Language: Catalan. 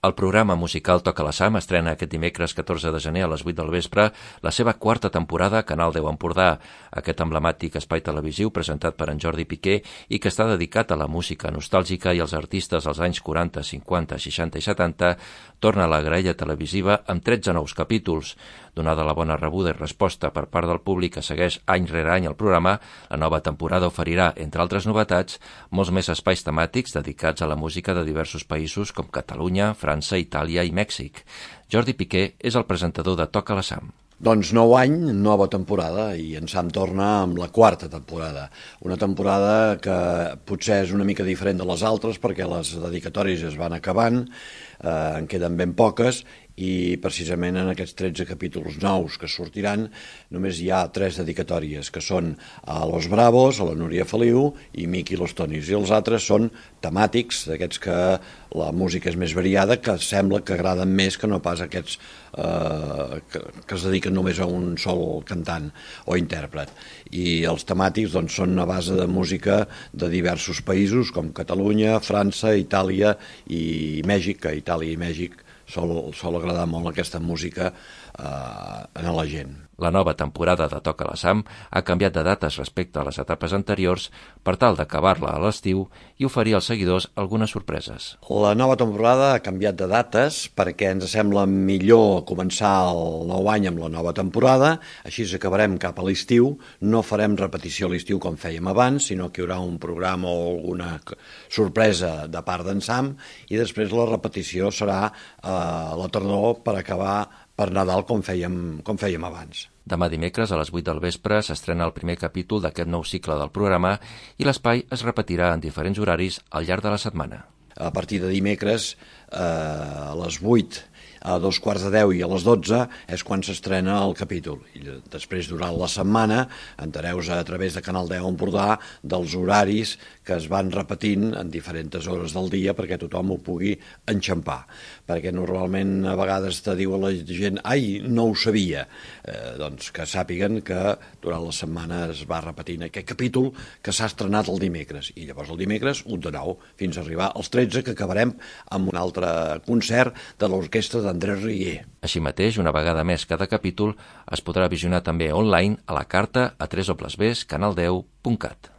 El programa musical Toca la Sam estrena aquest dimecres 14 de gener a les 8 del vespre la seva quarta temporada a Canal 10 Empordà. Aquest emblemàtic espai televisiu presentat per en Jordi Piqué i que està dedicat a la música nostàlgica i als artistes dels anys 40, 50, 60 i 70 torna a la graella televisiva amb 13 nous capítols. Donada la bona rebuda i resposta per part del públic que segueix any rere any el programa, la nova temporada oferirà, entre altres novetats, molts més espais temàtics dedicats a la música de diversos països com Catalunya, França, Itàlia i Mèxic. Jordi Piqué és el presentador de Toca la Sam. Doncs nou any, nova temporada, i en Sam torna amb la quarta temporada. Una temporada que potser és una mica diferent de les altres perquè les dedicatòries es van acabant, en queden ben poques, i precisament en aquests 13 capítols nous que sortiran només hi ha 3 dedicatòries, que són a Los Bravos, a la Núria Feliu i Miqui Los Tonis, i els altres són temàtics, d'aquests que la música és més variada, que sembla que agraden més que no pas aquests que es dediquen només a un sol cantant o intèrpret. I els temàtics doncs, són a base de música de diversos països com Catalunya, França, Itàlia i Mèxic, que Itàlia i Mèxic sol agradar molt aquesta música a la gent. La nova temporada de Toca la Sam ha canviat de dates respecte a les etapes anteriors per tal d'acabar-la a l'estiu i oferir als seguidors algunes sorpreses. La nova temporada ha canviat de dates perquè ens sembla millor començar el nou any amb la nova temporada, així acabarem cap a l'estiu, no farem repetició a l'estiu com fèiem abans, sinó que hi haurà un programa o alguna sorpresa de part d'en Sam i després la repetició serà a la tardor per acabar per Nadal com fèiem abans. Demà dimecres a les 8 del vespre s'estrena el primer capítol d'aquest nou cicle del programa i l'espai es repetirà en diferents horaris al llarg de la setmana. A partir de dimecres a les 8, a 2:15 i a les 12 és quan s'estrena el capítol. I després, durant la setmana, entereu a través de Canal 10 Empordà dels horaris que es van repetint en diferents hores del dia perquè tothom ho pugui enxampar. Perquè normalment a vegades te diu a la gent «Ai, no ho sabia». Doncs que sàpiguen que durant la setmana es va repetint aquest capítol que s'ha estrenat el dimecres. I llavors el dimecres, un de nou, fins a arribar als 13, que acabarem amb un altre concert de l'orquestra d'Andrés Rier. Així mateix, una vegada més cada capítol es podrà visionar també online a la carta a www.canal10.cat.